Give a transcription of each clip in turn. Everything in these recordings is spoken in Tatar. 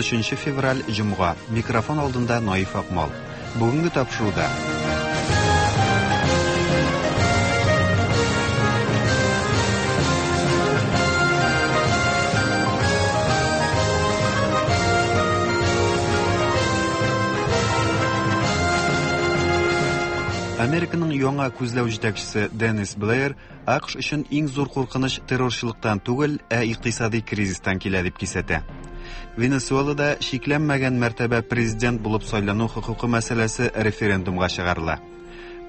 13 февраль, җомга. Микрофон алдында Наиф Акмал. Бүгенге тапшыруда. Американың яңа күзләү җитәкчесе Деннис Блэйр АКШ өчен иң зур куркыныч террорчылыктан түгел, ә икътисади кризистан килә дип кисәтә. Венесуэлада чикләнмәгән мәртәбә президент булып сайлану хокукы мәсьәләсе референдумга чыгарыла.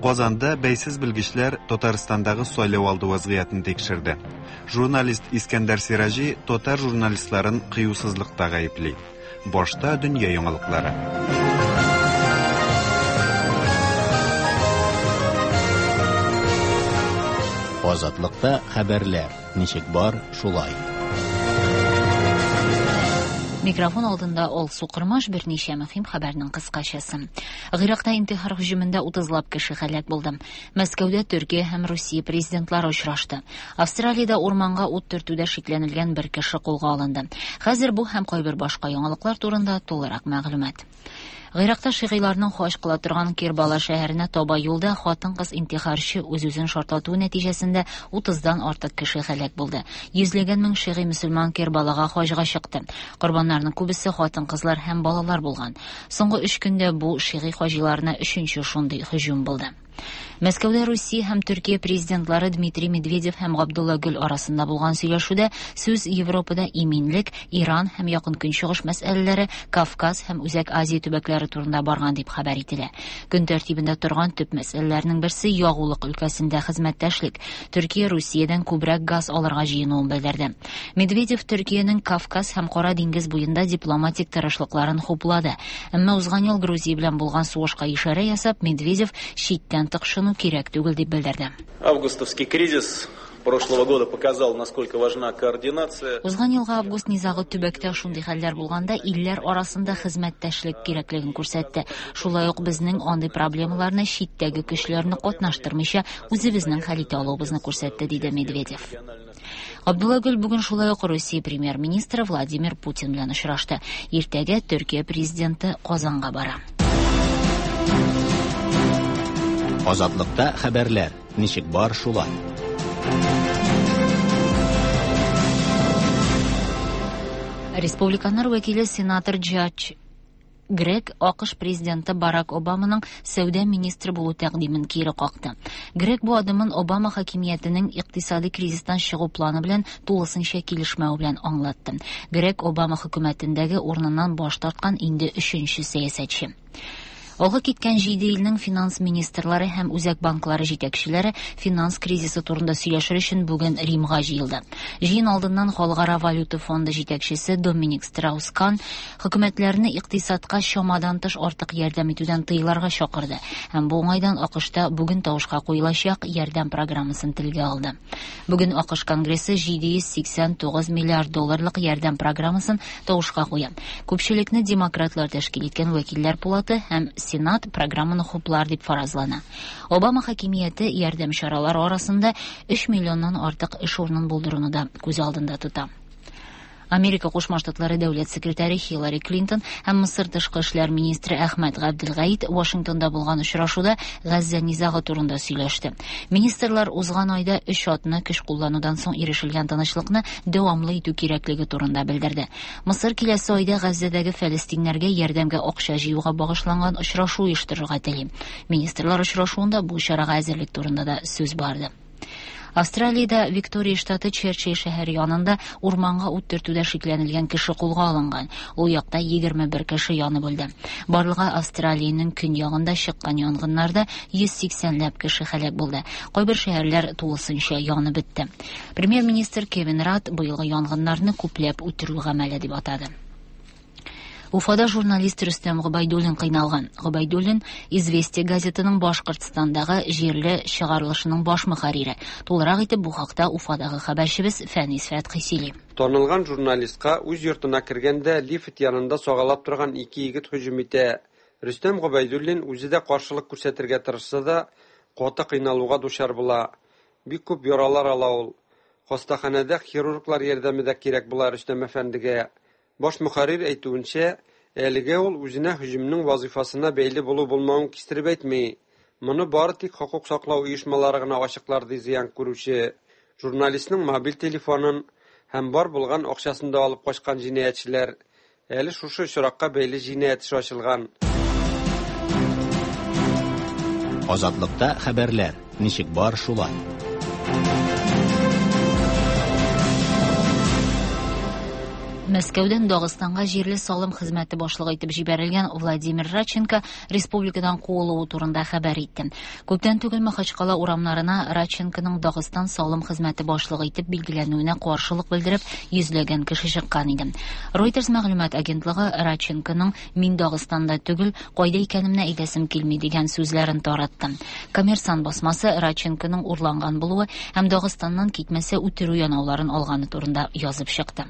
Казанда бәйсез белгечләр Татарстандагы сайлау алды вазгыятен тикшерде. Журналист Искәндәр Сираҗи татар журналистларын кыюсызлыкта гаепли. Башта дөнья яңалыклары. Азатлыкта хәбәрләр ничек бар, шулай. Микрофон алдында Алсу Кырмаш берничә мөһим хәбәрнең кыскачасы. Гыйракта интихар һөҗүмендә 30лап кеше һәлак булды. Мәскәүдә Төркия һәм Русия президентлары очрашты. Австралиядә урманга ут төртүдә шикләнелгән бер кеше кулга алынды. Хәзер бу һәм кайбер башка яңалыклар турында тулырак мәгълүмат. Гыйракта шигыйларның хаҗ кыла торган Кербала шәһәренә таба юлда хатын-кыз интихарчы үз-үзен шартлатуы нәтиҗәсендә 30-дан артык кеше һәлак булды. Йөзләгән мең шигый мөселман Кербалага хаҗга чыкты. Корбаннарның күбесе хатын-кызлар һәм балалар булган. Соңгы өч көндә бу шигый хаҗиларына өченче шундый һөҗүм булды. Мәскәүдә Русия һәм Төркия президентлары Дмитрий Медведев һәм Габдулла Гөл арасында булган сөйләшүдә сүз Европада иминлек, Иран һәм Якын Көнчыгыш мәсьәләләре, Кавказ һәм Үзәк Азия төбәкләре турында барган дип хәбәр ителә. Көн тәртибендә торган төп мәсьәләләрнең берсе ягулык өлкәсендә хезмәттәшлек. Төркия Русиядән күбрәк газ алырга җыенуын белдерде. Медведев Төркиянең Кавказ һәм Кара диңгез буенда дипломатик тырышлыкларын хуплады. Әмма узган ел Грузия белән булган сугышка ишарә ясап, Медведев читтән тыкшыну кирәк түгел дип белдерде. Августовский кризис прошлого года показал, насколько важна координация. Узган елгы август низагы төбәктә шундый хәлләр булганда илләр арасында хезмәттәшлек кирәклеген күрсәтте. Шулай ук безнең андый проблемаларны читтәге көчләрне катнаштырмыйча үзебезнең хәл итә алуыбызны күрсәтте, диде Медведев. Абдулла Гөл бүген шулай ук Русия премьер-министры Владимир Путин белән очрашты. Иртәгә Төркия президенты Казанга бара. Азатлыкта хәбәрләр ничек бар, шулай. Республиканнар вәкиле сенатор Джадж Грег АКШ президенты Барак Обаманың сәүдә министры булу тәкъдимен кире какты. Грег бу адымын Обама хакимиятенең икътисади кризистан чыгу планы белән тулысынча килешмәү белән аңлатты. Грег Обама хөкүмәтендәге урыныннан баш тарткан инде өченче сәясәтче. Алга киткән җиде илнең финанс министрлары һәм үзәк банклары җитәкчеләре финанс кризисы турында сөйләшер өчен бүген Римга җыелды. Җыен алдыннан Халыкара валюта фонды җитәкчесе Доминик Страус-Кан хөкүмәтләрне икътисадка чамадан тыш артык ярдәм итүдән тыеларга чакырды һәм бу уңайдан АКШта бүген тавышка куелачак ярдәм программасын телгә алды. Бүген АКШ Конгрессы 789 миллиард долларлык ярдәм программасын тавышка куя. Күпчелекне демократлар тәшкил иткән вәкилләр пулаты һәм Сенат программаны хуплар дип фаразлана. Обама хакимияте ярдәм чаралары арасында 3 миллионнан артык эш урынын булдыруны да күз алдында тота. Америка Кушма Штатлары дәүләт секретаре Хиллари Клинтон һәм Мысыр тышкы эшләр министры Әхмәт Габделгаит Вашингтонда булган очрашуда Газзә низагы турында сөйләште. Министрлар узган айда өч атна көч кулланудан соң ирешелгән тынычлыкны дәвамлы итү кирәклеге турында белдерде. Мысыр киләсе айда Газзәдәге фәлестиннәргә ярдәмгә акча җыюга багышланган очрашу оештырырга тели. Министрлар очрашуында бу чарага әзерлек турында да сүз барды. Австралиядә Виктория штаты Черчилль шәһәре янында урманга ут төртүдә шикләнелгән кеше кулга алынган. Ул якта 21 кеше янып үлде. Барлыгы Австралиянең көньягында чыккан янгыннарда 180 ләп кеше һәлак булды. Кайбер шәһәрләр тулысынча янып бетте. Премьер-министр Кевин Радд быелгы янгыннарны күпләп үтерү гамәле дип атады. Уфада журналист Рөстәм Гобәйдуллин кыйналган. Гобәйдуллин Известия газетының Башкортстандагы җирле чыгарылышының баш мөхәррире. Тулырак итеп бу хакта Уфадагы хәбәрчебез Фәнис Фәтхи сөйли. Танылган журналистка үз йортына кергәндә лифт янында сагалап торган ике егет һөҗүм итә. Рөстәм Гобәйдуллин үзе дә каршылык күрсәтергә тырышса да, каты кыйналуга дучар була. Бик күп яралар ала ул. Хастаханәдә хирурглар ярдәме дә кирәк була Рөстәм әфәндегә. Баш мөхәррир әйтүенчә, әлегә ул үзенә һөҗүмнең вазыйфасына бәйле булу-булмавын кистереп әйтми. Моны бары тик хокук саклау оешмалары гына ачыклар, ди зыян күрүче. Журналистның мобиль телефонын һәм бар булган акчасын да алып качкан җинаятьчеләр. Әле шушы очракка бәйле җинаять эше ачылган. Азатлыкта хәбәрләр, ничек бар шулай. Мәскәүдән Дагыстанга җирле салым хезмәте башлыгы итеп җибәрелгән Владимир Радченко республикадан куылуы турында хәбәр итте. Күптән түгел Махачкала урамнарына Радченконың Дагыстан салым хезмәте башлыгы итеп билгеләнүенә каршылык белдереп йөзләгән кеше чыккан иде. Reuters мәгълүмат агентлыгы Радченконың «Мин Дагыстанда түгел, кайда икәнемне әйтәсем килми» дигән сүзләрен таратты. Коммерсант басмасы Радченконың урланган булуы һәм Дагыстаннан китмәсә үтерү янауларын алганы турында язып чыкты.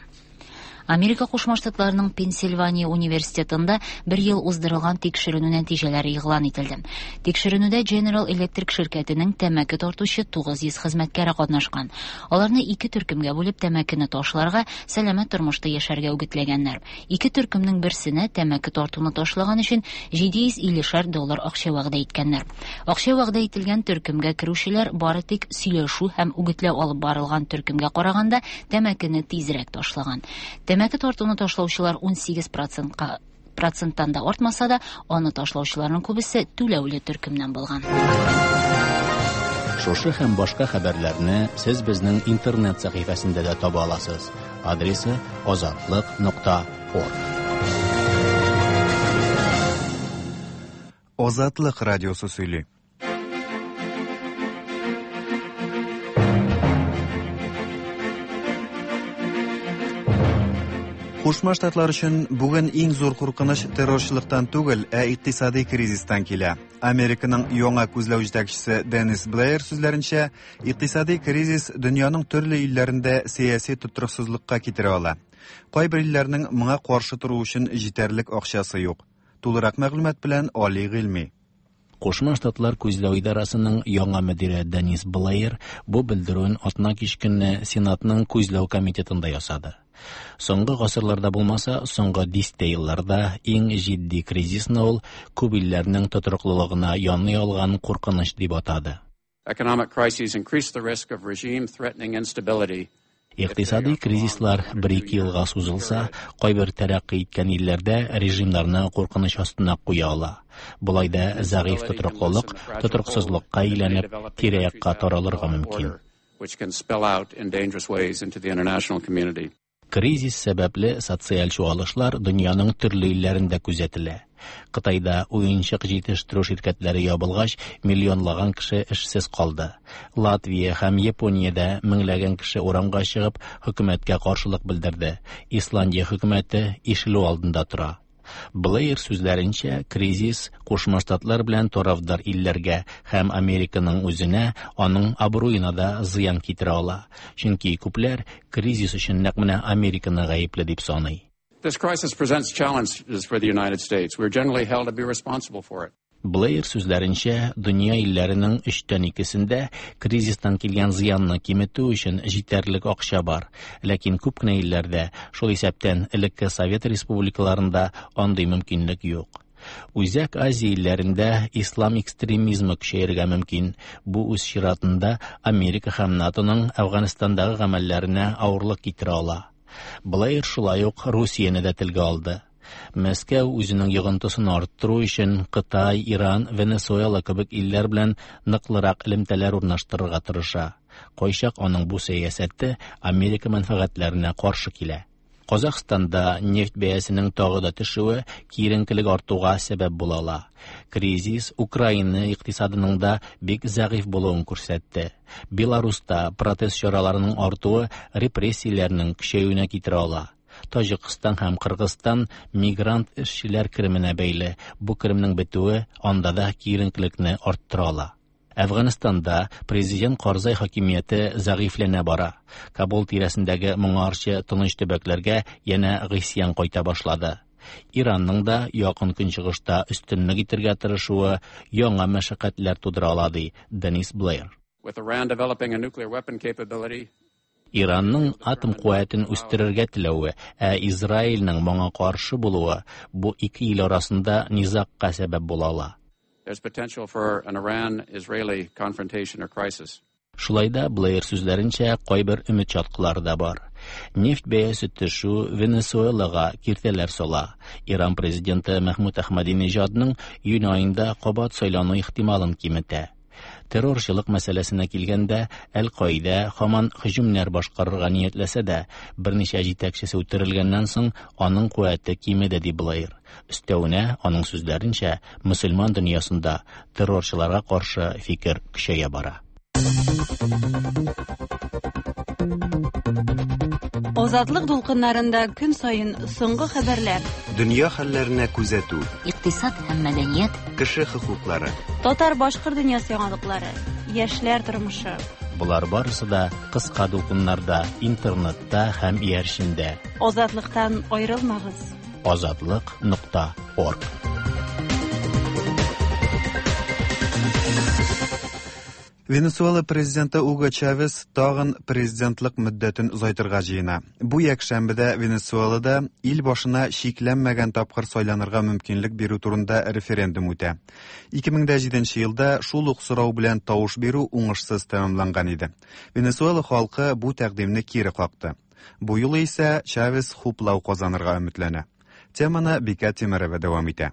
Америка Кушма Штатларының Пенсильвания университетында бер ел уздырылган тикшеренү нәтиҗәләре игълан ителде. Тикшеренүдә General Electric ширкәтенең тәмәке тартучы 900 хезмәткәре катнашкан. Аларны ике төркемгә бүлеп тәмәкене ташларга, сәламәт тормышта яшәргә үгетләгәннәр. Ике төркемнең берсенә тәмәке тартуны ташлаган өчен 750 доллар акча вәгъдә иткәннәр. Акча вәгъдә ителгән төркемгә керүчеләр бары тик сөйләшү һәм үгетләү алып барылган төркемгә караганда тәмәкене тизрәк ташлаган. Тәмәке тартуны ташлаучылар 18 процентка проценттан да артмаса да, аны ташлаучыларның күбесе түләүле төркемнән булган. Шушы һәм башка хәбәрләрне сез безнең интернет сәхифәсендә дә таба аласыз. Адресы azatliq.org. Азатлык радиосы сөйли. Кушма Штатлар өчен бүген иң зур куркыныч террорчылыктан түгел, ә икътисади кризистан килә. Американың яңа күзләү җитәкчесе Деннис Блэйр сүзләренчә, икътисади кризис дөньяның төрле илләрендә сәяси тотрыксызлыкка китерә ала. Кайбер илләрнең моңа каршы тору өчен җитәрлек акчасы юк. Тулырак мәгълүмат белән Али Гыйльми. Кушма Штатлар күзләү идарасының яңа мөдире Денис Блэйр бу белдерүен атна кич көнне Сенатның күзләү комитетында ясады. Соңгы гасырларда булмаса, соңгы дистә елларда иң җитди кризисны ул күп илләрнең тотрыклылыгына яный алган куркыныч дип атады. Economic crises increase the risk of regime-threatening instability. Икътисади кризислар бер-ике елга сузылса, кайбер тәрәккый иткән илләрдә режимнарны куркыныч астына куя ала. Болай да зәгыйфь тотрыклылык тотрыксызлыкка әйләнеп, тирә-якка таралырга мөмкин. Which can spill out in dangerous ways into the international community. Кризис сәбәпле социаль чуалышлар дөньяның төрле илләрендә күзәтелә. Кытайда уенчык җитештерү ширкәтләре ябылгач, миллионлаган кеше эшсез калды. Латвия һәм Япониядә меңләгән кеше урамга чыгып, хөкүмәткә каршылык белдерде. Исландия хөкүмәте ишелү алдында тора. Блэйр сүзләренчә, кризис Кушма Штатлар белән тарафдар илләргә һәм Американың үзенә, аның абруена да зыян китерә ала. Чөнки күпләр кризис өчен нәкъ менә Американы гаепле дип саный. This crisis presents challenges for the United States. We are generally held to be responsible for it. Блэйр сүзләренчә, дөнья илләренең өчтән икесендә кризистан килгән зыянны киметү өчен җитәрлек акча бар. Ләкин күп кенә илләрдә, шул исәптән элекке Совет республикаларында андый мөмкинлек юк. Үзәк Азия илләрендә ислам экстремизмы көчәергә мөмкин. Бу үз чиратында Америка һәм НАТОның Әфганстандагы гамәлләренә авырлык китерә ала. Блэйр шулай ук Русияне дә телгә алды. Мәскәү үзенең йогынтысын арттыру өчен Кытай, Иран, Венесуэла кебек илләр белән ныклырак элемтәләр урнаштырырга тырыша. Кайчак аның бу сәясәте Америка мәнфәгатьләренә каршы килә. Казахстанда нефть бәясенең тагы да төшүе киеренкелек артуга сәбәп була ала. Кризис Украина икътисадының да бик зәгыйфь булуын күрсәтте. Беларуста протест чараларының артуы репрессияләрнең көчәюенә китерә ала. Таҗикстан һәм Кыргызстан мигрант эшчеләр кеременә бәйле. Бу керемнең бетүе анда да киеренкелекне арттыра ала. Әфганстанда президент Карзай хакимияте зәгыйфьләнә бара. Кабул тирәсендәге моңарчы тыныч төбәкләргә янә гыйсьян кайта башлады. Иранның да якын көнчыгышта өстенлек итәргә тырышуы яңа мәшәкатьләр тудыра ала, ди Денис Блэйр. With Iran developing a nuclear weapon capability, Иранның атом куәтен үстерергә теләве, ә Израильнең моңа каршы булуы бу ике ил арасында низагка сәбәп була ала. There's potential for an Iran-Israeli confrontation or crisis. Шулай да, Блэйр сүзләренчә, кайбер өмет чаткылары да бар. Нефть бәясе төшү Венесуэлага киртәләр сала. Иран президенты Мәхмүд Әхмәдинежадның июнь аенда кабат сайлану ихтималын киметә. Террорчылык мәсьәләсенә килгәндә, Әл-Каидә һаман һөҗүмнәр башкарырга ниятләсә дә, берничә җитәкчесе үтерелгәннән соң аның куәте кимеде, ди Блэйр. Өстәвенә, аның сүзләренчә, мөселман дөньясында террорчыларга каршы фикер көчәя бара. Азатлык дулкыннарында көн саен соңгы хәбәрләр. Дөнья хәлләренә күзәтү. Икътисад һәм мәдәният. Кеше хокуклары. Татар-башкорт дөньясы яңалыклары. Яшьләр тормышы. Болар барысы да кыска дулкыннарда, интернетта һәм иярчендә. Азатлыктан аерылмагыз. Азатлык нокта орг. Венесуэла президенты Уго Чавес тагын президентлык мөддәтен озайтырга җыена. Бу якшәмбедә Венесуэлада ил башына чикләнмәгән тапкыр сайланырга мөмкинлек бирү турында референдум үтә. 2007 елда шул ук сорау белән тавыш бирү уңышсыз тәмамланган иде. Венесуэла халкы бу тәкъдимне кире какты. Бу юлы исә Чавес хуплау казанырга өметләнә. Теманы Бикә Тимерова дәвам итә.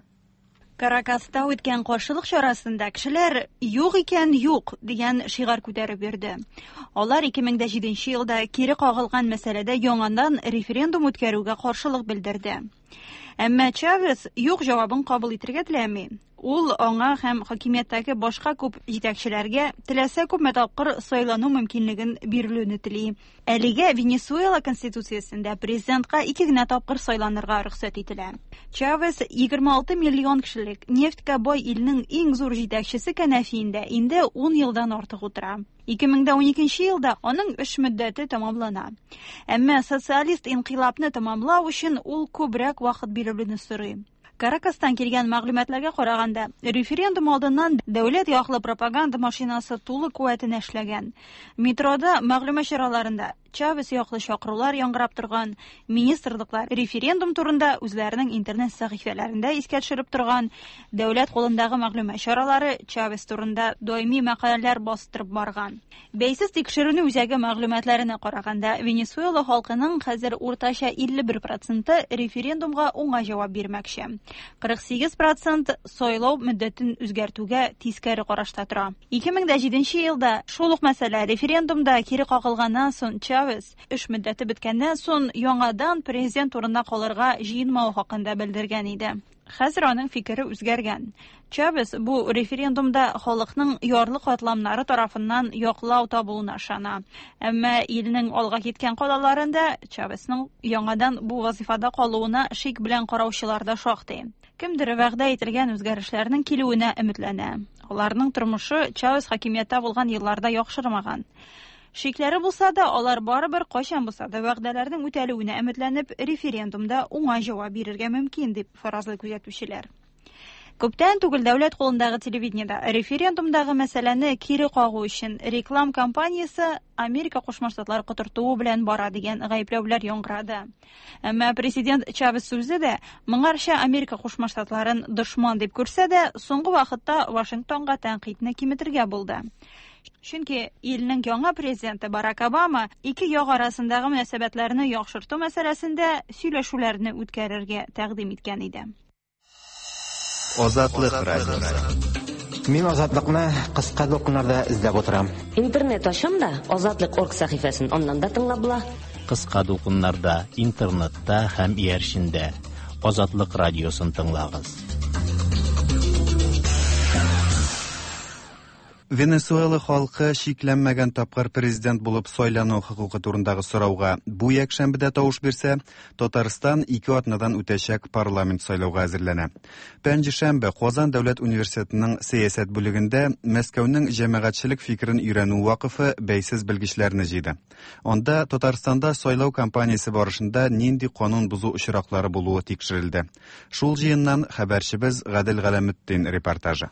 Каракаста үткән каршылык чарасында кешеләр «Юк икән, юк» дигән шигарь күтәреп йөрде. Алар 2007 елда кире кагылган мәсьәләдә яңадан референдум үткәрүгә каршылык белдерде. Әмма Чавес юк җавабын кабул итәргә теләми. Ул аңа һәм хакимияттәге башка күп җитәкчеләргә теләсә күпме тапкыр сайлану мөмкинлеген бирелүне тели. Әлегә Венесуэла конституциясендә президентка ике генә тапкыр сайланырга рөхсәт ителә. Чавес 26 миллион кешелек нефтькә бай илнең иң зур җитәкчесе кәнәфиендә инде 10 елдан артык утыра. 2012 елда аның эш мөддәте тәмамлана. Әмма социалист инкыйлабны тәмамлау өчен ул күбрәк вакыт бирелүне сорый. Каракастан килгән мәгълүматларга караганда, референдум алдыннан дәүләт яклы пропаганда машинасы тулы куәтенә эшләгән. Метрода мәгълүмат чараларында Чавес яклы чакырулар яңгырап торган, министрлыклар референдум турында үзләренең интернет сәхифәләрендә искә төшереп торган, дәүләт кулындагы мәгълүмат чаралары Чавес турында даими мәкаләләр бастырып барган. Бәйсез тикшеренү үзәге мәгълүматларына караганда, Венесуэла халкының хәзер уртача 51% референдумга уңай җавап бирмәкче. 48% сайлау мөддәтен үзгәртүгә тискәре карашта тора. 2007 елда шул ук мәсьәлә референдумда кире кагылганнан соң Чавес эш мөддәте беткәннән соң яңадан президент урынына калырга җыенмавы хакында белдергән иде. Хәзер аның фикере үзгәргән. Чавес бу референдумда халыкның ярлы катламнары тарафыннан яклау табуына ышана. Әмма илнең алга киткән калаларында Чавесның яңадан бу вазифада калуына шик белән караучылар да шактый. Кемдер вәгъдә ителгән үзгәрешләрнең килүенә өметләнә. Аларның тормышы Чавес хакимияттә булган елларда яхшырмаган. Шикләре булса да, алар барыбер кайчан булса да вәгъдәләрнең үтәлүенә өметләнеп, референдумда уңай җавап бирергә мөмкин, дип фаразлый күзәтүчеләр. Күптән түгел дәүләт кулындагы телевидениедә референдумдагы мәсьәләне кире кагу өчен реклам кампаниясе Америка Кушма Штатлары котыртуы белән бара дигән гаепләүләр яңгырады. Әмма президент Чавес үзе дә моңарча Америка Кушма Штатларын дошман дип күрсә дә, соңгы вакытта Вашингтонга тәнкыйтьне киметергә булды. Чөнки илнең яңа президенты Барак Обама ике як арасындагы мөнәсәбәтләрне яхшырту мәсьәләсендә сөйләшүләрне үткәрергә тәкъдим иткән иде. Азатлык радиосы. Мин Азатлыкны кыска дулкыннарда эзләп утырам. Интернет ачам да, Азатлык орг сәхифәсен аннан да тыңлап була. Кыска дулкыннарда, интернетта һәм иярчендә Азатлык радиосын тыңлагыз. Венесуэла халкы чикләнмәгән тапкыр президент булып сайлану хокукы турындагы сорауга бу якшәмбедә тавыш бирсә, Татарстан ике атнадан үтәчәк парламент сайлауга әзерләнә. Пәнҗешәмбе Казан дәүләт университетының сәясәт бүлегендә Мәскәүнең җәмәгатьчелек фикерен өйрәнү вакыфы бәйсез белгечләрне җыйды. Анда Татарстанда сайлау кампаниясе барышында нинди канун бозу очраклары булуы тикшерелде. Шул җыеннан хәбәрчебез Гадел Галәметдин репортажы.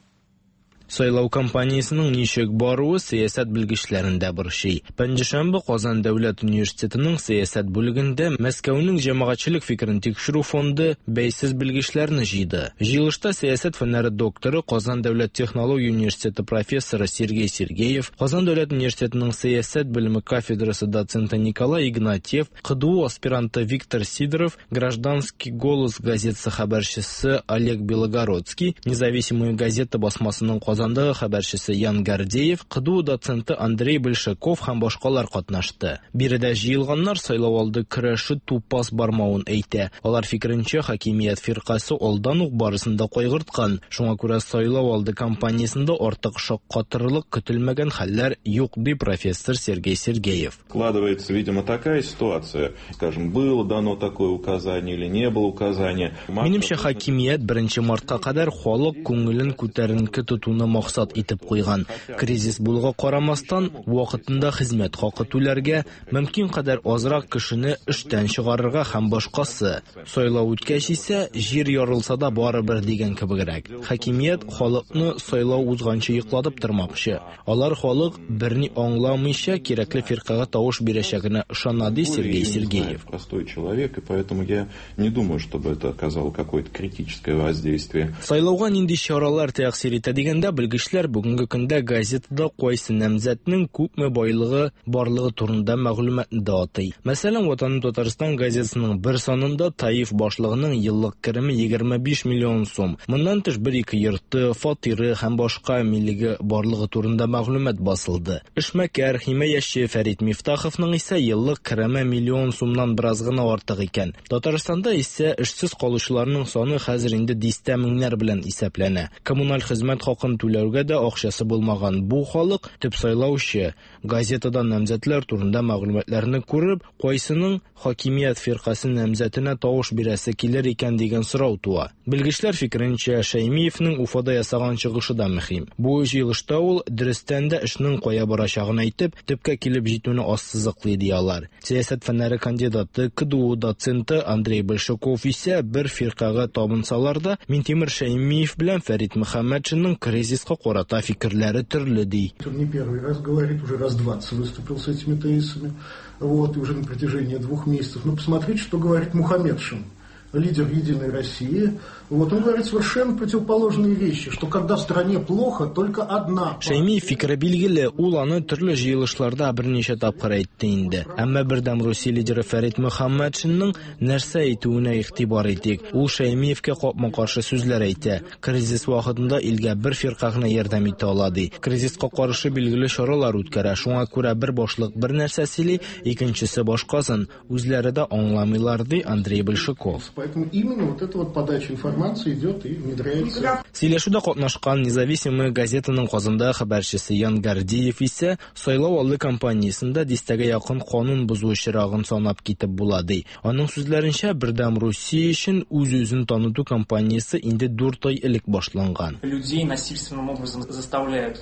Сайлау кампаниясенең ничек баруы сәясәт белгечләрен дә борчый. Пәнҗешәмбе Казан дәүләт университетының сәясәт бүлегендә Мәскәүнең җәмәгатьчелек фикерен тикшерү фонды бәйсез белгечләрне җыйды. Җыелышта сәясәт фәннәре докторы, Казан дәүләт технология университеты профессоры Сергей Сергеев, Казан дәүләт университетының сәясәт белеме кафедрасы доценты Николай Игнатьев, КДУ аспиранты Виктор Сидоров, Гражданский голос газетасы хәбәрчесе Олег Белогородский, Независимая газета басмасының Казандагы хәбәрчесе Ян Гордеев, КДУ доценты Андрей Большаков һәм башкалар катнашты. Биредә җыелганнар сайлау алды көрәше тупас бармавын әйтә. Алар фикеренчә, хакимият фиркасе алдан ук барысын да кайгырткан. Шуңа күрә сайлау алды кампаниясендә артык шаккатырлык көтелмәгән хәлләр юк, ди профессор Сергей Сергеев. Складывается, видимо, такая ситуация, скажем, было дано такое указание или не было указания. Минемчә, хакимият 1 мартка кадәр халык күңелен күтәренке тотуны максат итеп куйган. Кризис булуга карамастан, вакытында хезмәт хакы түләргә, мөмкин кадәр азрак кешене эштән чыгарырга һәм башкасы. Сайлау үткәч исә, җир ярылса да барыбер дигән кебегрәк. Хакимият халыкны сайлау узганчы йоклатып тормакчы. Алар халык берни аңламыйча кирәкле фиркага тавыш бирәчәгенә ышана, ди Сергей Сергеев. Простой человек, и поэтому я не думаю, чтобы это оказало какое-то критическое воздействие. Сайлауга нинди чаралар тәэсир итә дигәндә, белгечләр бүгенге көндә газетада кайсы намзәтнең күпме байлыгы барлыгы турында мәгълүматны да атый. Мәсәлән, Ватаным Татарстан газетасының бер санында ТАИФ башлыгының еллык кереме 25 миллион сум. Моннан тыш бер-ике йорты, фатиры һәм башка милеге барлыгы турында мәгълүмат басылды. Эшмәкәр, химаячы Фәрит Мифтаховның исә еллык кереме миллион сумнан бераз гына артык икән. Татарстанда исә эшсез калучыларның саны хәзер инде дистә меңнәр белән исәпләнә. Коммуналь хезмәт хакын түләүгә дә акчасы булмаган бу халык төп сайлаучы. Газетадан намзәтләр турында мәгълүматларны күреп, кайсының хакимият фиркасе намзәтенә тавыш бирәсе килер икән дигән сорау туа. Белгечләр фикеренчә, Шәймиевнең Уфада ясаган чыгышы да мөһим. Бу җыелышта ул дөрестән дә эшнең кая барачагын әйтеп, төпкә килеп җитүне ассызыклый ди алар. Сәясәт фәннәре кандидаты, КДУ доценты Андрей Большаков исә бер фиркага табынсалар да, Минтимер Шәймиев белән Фәрит Мөхәммәтшинның кризиска карата фикерләре төрле ди. Он не первый раз говорит, уже раз 20 выступил с этими тезисами, вот, и уже на протяжении 2 месяцев. Но посмотрите, что говорит Мухаметшин, лидер «Единой России». Вот, он говорит совершенно противоположные вещи, что когда в стране плохо, только одна... Шәймиев фикере билгеле, ул аны төрле җыелышларда берничә тапкыр әйтте инде. Әмма Бердәм Русия лидеры Фәрит Мөхәммәтшинның нәрсә әйтүенә игътибар итик. Ул Шәймиевкә капма-каршы сүзләр әйтә. Кризис вакытында илгә бер фирка гына ярдәм итә ала ди. Кризиска каршы билгеле чаралар үткәрә. Шуңа күрә бер башлык бер нәрсә сөйли, икенчесе башкасын. Үзләре дә аңламыйлар, ди Андрей Большаков. Поэтому именно вот эта вот подача информации идет и внедряется. Сөйләшүдә катнашкан Независимая газетаның Казанда хәбәрчесе Ян Гордеев исә сайлау алды кампаниясендә дистәгә якын канун бозу очрагын санап китеп була ди. Аның сүзләренчә, Бердәм Русия өчен үз-үзен таныту кампаниясе инде 4 ай элек башланган. Людей насильственным образом заставляют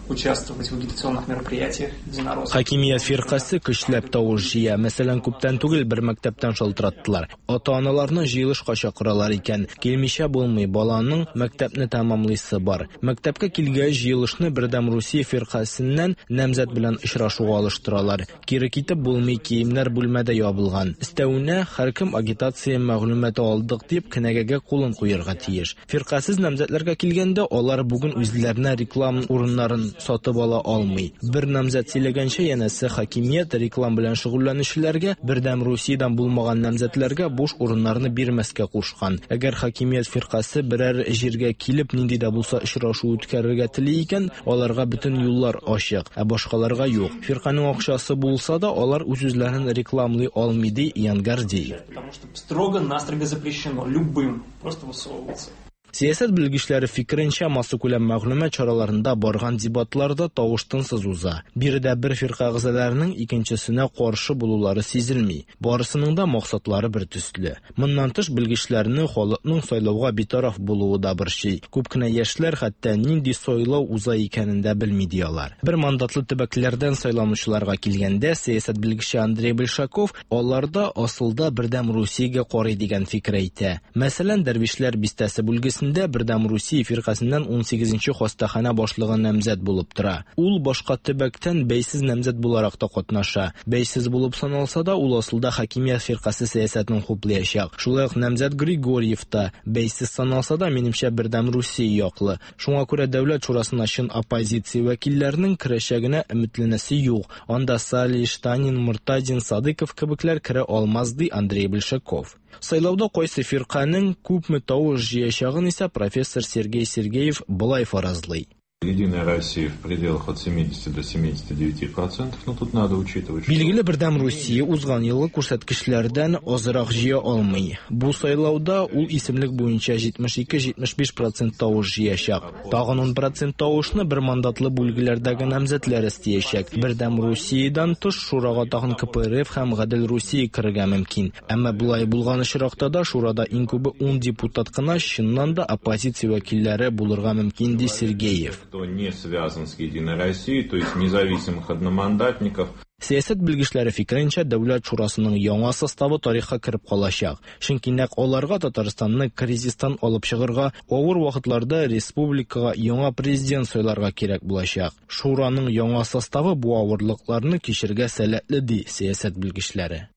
участвовать в агитационных мероприятиях единороссов. Хакимият фиркасе көчләп тавыш җыя. Мәсәлән, күптән түгел бер мәктәптән шалтыраттылар. Ата-аналарны җыелышка чакыралар икән. Килмичә булмый, баланың мәктәпне тәмамлыйсы бар. Мәктәпкә килгәч, җыелышны Бердәм Русия фиркасеннән намзәт белән очрашуга алыштыралар. Кире китеп булмый, киемнәр бүлмәдә ябылган. Өстәвенә, һәркем агитация мәгълүматы алдык дип кенәгәгә кулын куярга тиеш. Фиркасез намзәтләргә килгәндә, алар бүген үзләренә реклама урыннарын сатып ала алмый. Бер намзәт сөйләгәнчә, янәсе хакимият реклам белән шөгыльләнүчеләргә, Бердәм Русиядән булмаган намзәтләргә буш урыннарны бирмәскә кушкан. Әгәр хакимият фиркасе берәр җиргә килеп нинди дә булса очрашу үткәрергә тели икән, аларга бөтен юллар ачык, ә башкаларга юк. Фирканың акчасы булса да, алар үз-үзләрен рекламлый алмый, ди Ян Гордеев. Потому что строго-настрого запрещено любым просто высовываться. Сәясәт белгечләре фикеренчә, массакүләм мәгълүмат чараларында барган дебатларда тавыш тынсыз уза. Биредә бер фирка әгъзаларының икенчесенә каршы булулары сизелми. Барысының да максатлары бер төсле. Моннан тыш белгечләрне халыкның сайлауга битараф булуы да борчый. Күп кенә яшьләр хәтта нинди сайлау уза икәнен дә белми ди алар. Бер мандатлы төбәкләрдән сайланучыларга килгәндә, сәясәт белгече Андрей Большаков аларда асылда Бердәм Русиягә карый дигән фикер әйтә. Мәсәлән, Дәрвишләр бистәсе бүлгесендә рәтендә Бердәм Русия фиркасеннән 18 нче хастаханә башлыгы намзәт булып тора. Ул башка төбәктән бәйсез намзәт буларак та катнаша. Бәйсез булып саналса да, ул асылда хакимият фиркасе сәясәтен хуплаячак. Шулай ук намзәт Григорьев та бәйсез саналса да, минемчә, Бердәм Русия яклы. Шуңа күрә Дәүләт шурасына чын оппозиция вәкилләренең керәчәгенә өметләнәсе юк. Анда Салий, Штанин, Мортазин, Садыков кебекләр керә алмас, ди Андрей Большаков. Сайлауда кайсы фирканең күпме тавыш җыячагын исә профессор Сергей Сергеев болай фаразлый. Единая Россия в пределах от 70 до 79%, но тут надо учитывать, что... Билгеле, Бердәм Русия узган елгы күрсәткечләрдән азрак җыя алмый. Бу сайлауда ул исемлек буенча 72-75 процент тавыш җыячак. Тагын 10 процент тавышны бер мандатлы бүлгеләрдәге намзәтләр өстиячәк. Бердәм Русиядән тыш шурага тагын КПРФ һәм Гадел Русия керергә мөмкин. Әмма болай булган очракта да шурада иң күбе 10 депутат кына чыннан да оппозиция вәкилләре булырга мөмкин, ди Сергеев. Кто не связан с Единой Россией, то есть независимых одномандатников. Сәясәт белгечләре фикеренчә, Дәүләт шурасының яңа составы тарихка кереп калачак. Чөнки нәкъ аларга Татарстанны кризистан алып чыгарга, авыр вакытларда республикага яңа президент сайларга кирәк булачак. Шураның яңа составы бу авырлыкларны кичергә сәләтле, ди сәясәт белгечләре.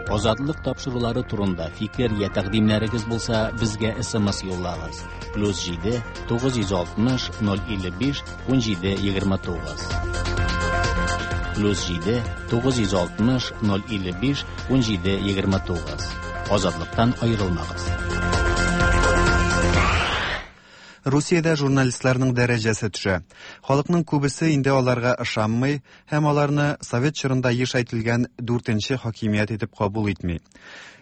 Азатлык тапшырулары турында фикер я тәкъдимнәрегез булса, безгә SMS юллагыз. Плюс 7 960 055 17 29. Плюс 7 960 055 17 29. Азатлыктан аерылмагыз. Русиядә журналистларның дәрәҗәсе төшә. Халыкның күбесе инде аларга ышанмый һәм аларны совет чорында еш әйтелгән дүртенче хакимият итеп кабул итми.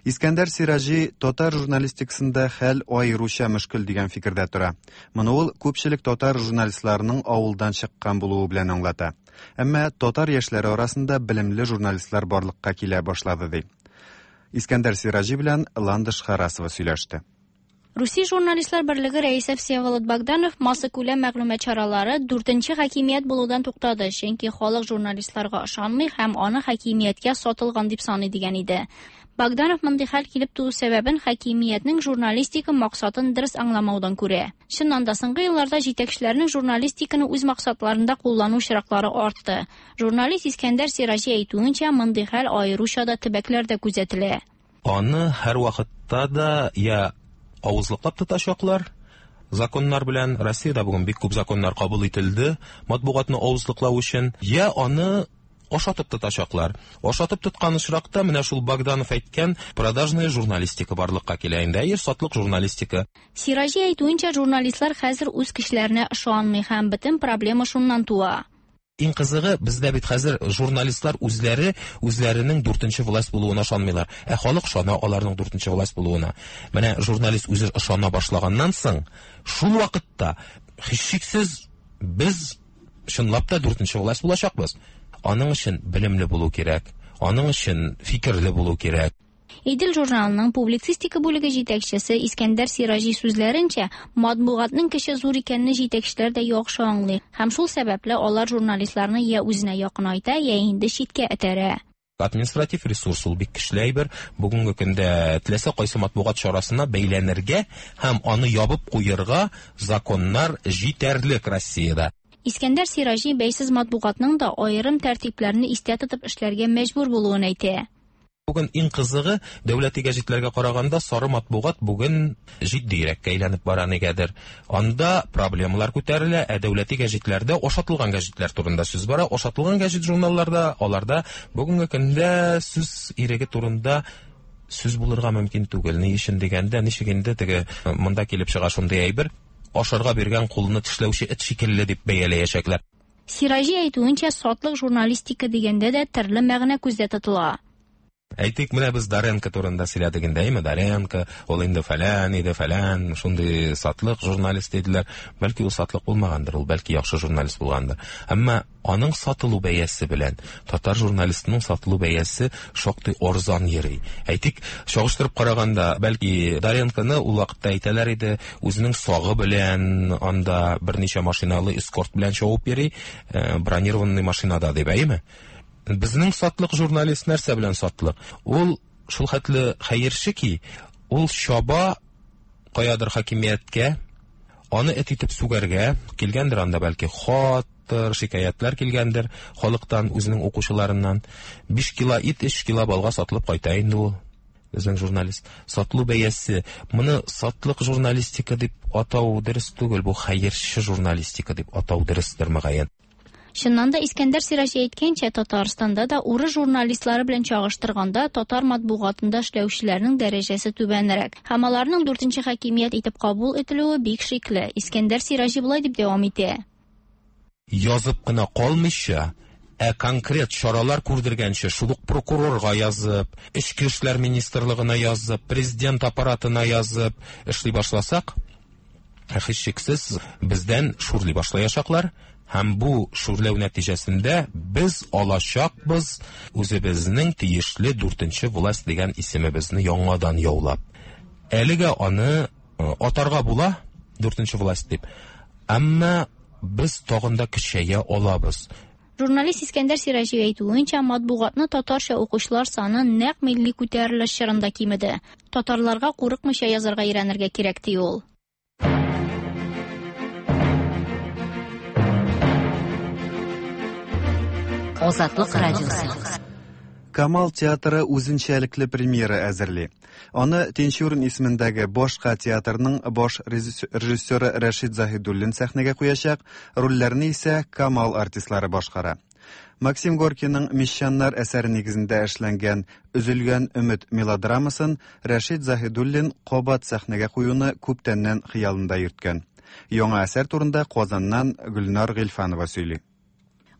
Искәндәр Сираҗи татар журналистикасында хәл аеруча мөшкел дигән фикердә тора. Моны ул күпчелек татар журналистларының авылдан чыккан булуы белән аңлата. Әмма татар яшьләре арасында белемле журналистлар барлыкка килә башлады ди. Искәндәр Сираҗи белән Ландыш Харасова сөйләште. Русия журналистлар берлеге рәисе Всеволод Богданов массакүләм мәгълүмат чаралары дүртенче хакимият булудан туктады, чөнки халык журналистларга ышанмый һәм аны хакимияткә сатылган дип саный дигән иде. Богданов мондый хәл килеп туу сәбәбен хакимиятнең журналистика максатын дөрес аңламаудан күрә. Чыннан да соңгы елларда җитәкчеләрнең журналистиканы үз максатларында куллану очраклары артты. Журналист Искәндәр Сираҗи әйтүенчә, мондый хәл аеруча да төбәкләрдә күзәтелә. Аны һәрвакытта да я авызлыклап тотачаклар законнар белән. Россиядә бүген бик күп законнар кабул ителде матбугатны авызлыклау өчен, я аны ашатып тотачаклар. Ашатып тоткан очракта менә шул Богданов әйткән продажная журналистика барлыкка килә инде. Әйе, сатлык журналистика. Сираҗи әйтүенчә, журналистлар хәзер үз кешеләренә ышанмый һәм бөтен проблема шуннан туа. Иң кызыгы, бездә бит хәзер журналистлар үзләре үзләренең дүртенче власть булуына ышанмыйлар. Ә халык ышана аларның дүртенче власть булуына. Менә журналист үзе ышана башлаганнан соң, шул вакытта һичшиксез без чынлап та дүртенче власть булачакбыз. Аның өчен белемле булу кирәк, аның өчен фикерле булу кирәк. Идел журналының публицистика бүлеге җитәкчесе Искәндәр Сираҗи сүзләренчә, матбугатның көче зур икәнне җитәкчеләр дә яхшы аңлый һәм шул сәбәпле алар журналистларны я үзенә якынайта, я инде читкә этәрә. Административ ресурс ул бик көчле әйбер. Бүгенге көндә теләсә кайсы матбугат чарасына бәйләнергә һәм аны ябып куерга законнар җитәрлек Россиядә. Искәндәр Сираҗи бәйсез матбугатның да аерым тәртипләрне истә тотып эшләргә мәҗбүр булуын әйтә. Бүген иң кызыгы, дәүләти гәҗитләргә караганда сары матбугат бүген җитдирәккә әйләнеп бара нигәдер. Анда проблемалар күтәрелә, ә дәүләти гәҗитләрдә ашатылган гәҗитләр турында сүз бара. Ашатылган гәҗит журналларда, аларда бүгенге көндә сүз иреге турында сүз булырга мөмкин түгел. Ни өчен дигәндә, ничек инде теге монда килеп чыга шундый әйбер, ашарга биргән кулны тешләүче эт шикелле дип бәяләячәкләр. Сираҗи әйтүенчә, сатлык журналистика дигәндә дә төрле мәгънә күздә тотыла. Әйтик, менә без Доренко турында сөйләдек инде, әйме? Доренко, ул инде фәлән иде, фәлән, шундый сатлык журналист диделәр. Бәлки ул сатлык булмагандыр, ул бәлки яхшы журналист булгандыр. Әмма аның сатылу бәясе белән татар журналистының сатылу бәясе шактый арзан йөри. Әйтик, чагыштырып караганда, бәлки Доренконы ул вакытта әйтәләр иде, үзенең сагы белән анда берничә машиналы эскорт белән чабып йөри, бронированный машинада дип, әйеме? Безнең сатлык журналист нәрсә белән сатлык? Ул шул хәтле хәерче ки, ул чаба каядыр хакимияткә, аны эт итеп сүгәргә килгәндер анда бәлки хаттыр, шикаятьләр килгәндер халыктан, үзенең укучыларыннан. 5 кило ит 3 кило балга сатылып кайта инде ул. Безнең журналист. Сатылу бәясе. Моны сатлык журналистика дип атау дөрес түгел, бу хәерче журналистика дип атау дөрестер мөгаен. Чыннан да Искәндәр Сираҗи әйткәнчә, Татарстанда да урыс журналистлары белән чагыштырганда татар матбугатында эшләүчеләрнең дәрәҗәсе түбәнрәк. Һәм аларның дүртенче хакимият итеп кабул ителүе бик шикле. Искәндәр Сираҗи болай дип дәвам итә. Язып кына калмыйча, ә конкрет чаралар күрдергәнче, шул ук прокурорга язып, Эчке эшләр министрлыгына язып, президент аппаратына язып эшли башласак, һичшиксез бездән шүрли башлаячаклар. Һәм бу шүрләү нәтиҗәсендә без алачакбыз үзебезнең тиешле дүртенче власть дигән исемебезне яңадан яулап. Әлегә аны атарга була дүртенче власть дип. Әмма без тагын да көчәя алабыз. Журналист Искәндәр Сираҗи әйтүенчә, матбугатны татарча укучылар саны нәкъ милли күтәрелеш чорында кимеде. Татарларга курыкмыйча язарга өйрәнергә кирәк, ди ул. Азатлык радиосы. Камал театры үзенчәлекле премьера әзерли. Аны Тинчурин исемендәге башка театрның баш режиссеры Рәшит Заһидуллин сәхнәгә куячак, рольләрне исә Камал артистлары башкара. Максим Горькийның Мещаннар әсәре нигезендә эшләнгән Өзелгән өмет мелодрамасын Рәшит Заһидуллин кабат сәхнәгә куюны күптәннән хыялында йөрткән. Яңа әсәр турында Казаннан Гөлнар Гыйльфанова сөйли.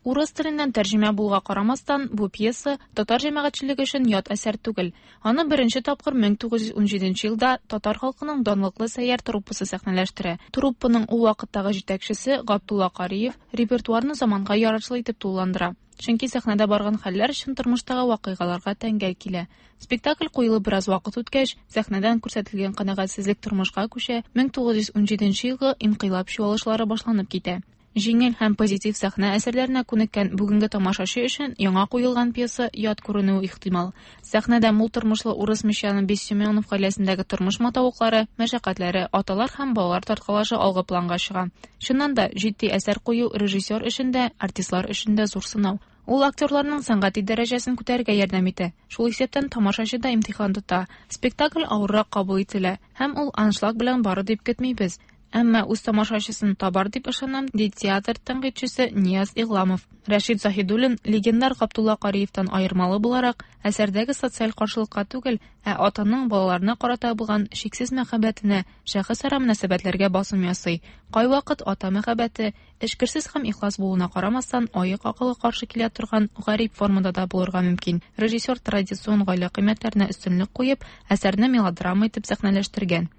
Урыс теленнән тәрҗемә булуга карамастан, бу пьеса татар җәмәгатьчелеге өчен ят әсәр түгел. Аны беренче тапкыр 1917 елда татар халкының данлыклы Сәйяр труппасы сәхнәләштерә. Труппаның ул вакыттагы җитәкчесе Габдулла Кариев репертуарны заманга ярашлы итеп тулыландыра. Чөнки сәхнәдә барган хәлләр чын тормыштагы вакыйгаларга тәңгәл килә. Спектакль куелып бераз вакыт үткәч, сәхнәдән күрсәтелгән канәгатьсезлек тормышка күчә, 1917 елгы инкыйлаб чуалышлары башланып китә. Җиңел һәм позитив сәхнә әсәрләренә күнеккән бүгенге тамашачы өчен яңа куелган пьеса ят күренүе ихтимал. Сәхнәдә мул тормышлы урыс мещаны Бессеменов гаиләсендәге тормыш матавыклары, мәшәкатьләре, аталар һәм балалар тарткалашы алгы планга чыга. Чыннан да, җитди әсәр кую режиссер өчен дә, артистлар өчен дә зур сынау. Ул актерларның сәнгати дәрәҗәсен күтәрергә ярдәм итә. Шул исәптән тамашачы да имтихан тота. Спектакль авыррак кабул ителә һәм ул аншлаг белән бары дип көтмибез. Әмма үз тамашачысын табар дип ышанам, ди театр тәнкыйтьчесе Нияз Игъламов. Рәшит Заһидуллин легендар Габдулла Кариевтан аермалы буларак, әсәрдәге социаль каршылыкка түгел, ә атаның балаларына карата булган чиксез мәхәббәтенә, шәхесара мөнәсәбәтләргә басым ясый. Кайвакыт ата мәхәббәте эчкерсез һәм ихлас булуына карамастан, аек акылга каршы килә торган гарип формада да булырга мөмкин. Режиссер традицион гаилә кыйммәтләренә өстенлек куеп, әсәрне мелодрама итеп сәхнәләштергән.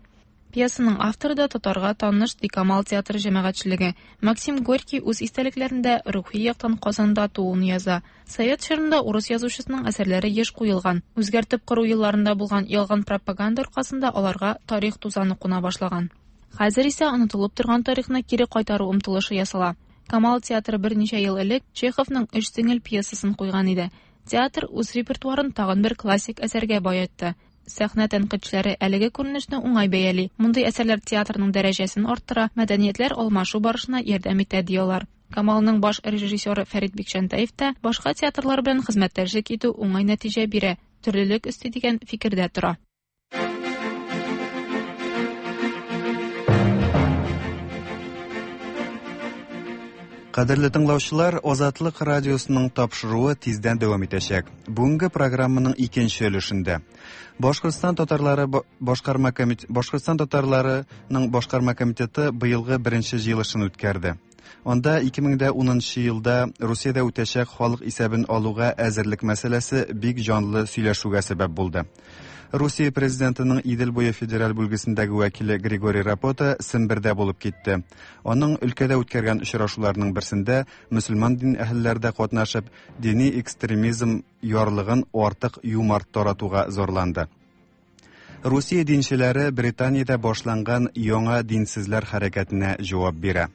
Пьесаның авторы да татарга таныш, ди Камал театры җәмәгатьчелеге. Максим Горький үз истәлекләрендә рухи яктан Казанда тууын яза. Совет чорында урыс язучысының әсәрләре еш куелган. Үзгәртеп кору елларында булган ялган пропаганда аркасында аларга тарих тузаны куна башлаган. Хәзер исә онытылып торган тарихны кире кайтару омтылышы ясала. Камал театры берничә ел элек Чеховның Өч сеңел пьесасын куйган иде. Театр үз репертуарын тагын бер классик әсәргә баетты. Сәхнә тәнкыйтьчеләре әлеге күренешне уңай бәяли. Мондый әсәрләр театрның дәрәҗәсен арттыра, мәдәниятләр алмашу барышына ярдәм итә, ди алар. Камалның баш режиссеры Фәрит Бикчәнтәев та башка театрлар белән хезмәттәшлек итү уңай нәтиҗә бирә, төрлелек өсти дигән фикердә тора. Кадерле тыңлаучылар, Азатлык радиосының тапшыруы тиздән дәвам итәчәк. Бүгенге программаның икенче өлешендә Башкортстан татарлары башкарма комитет Башкортстан татарларының башкарма комитеты быелгы беренче җыелышын үткәрде. Анда 2010 елда Русиядә үтәчәк халык исәбен алуга әзерлек мәсьәләсе бик җанлы сөйләшүгә сәбәп булды. Русия президентының Идел буе федераль бүлгесендәге вәкиле Григорий Рапота Сембердә булып китте. Аның өлкәдә үткәргән очрашуларының берсендә мөселман дин әһелләре дә катнашып, дини экстремизм ярлыгын артык юмарт таратуга зарланды. Русия динчеләре Британиядә башланган яңа динсезләр хәрәкәтенә җавап бирә.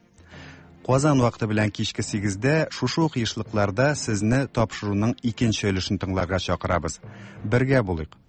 Казан вакыты белән кичке 8-дә шушы ук ешлыкларда сезне тапшыруның икенче өлешен тыңларга чакырабыз. Бергә булыйк.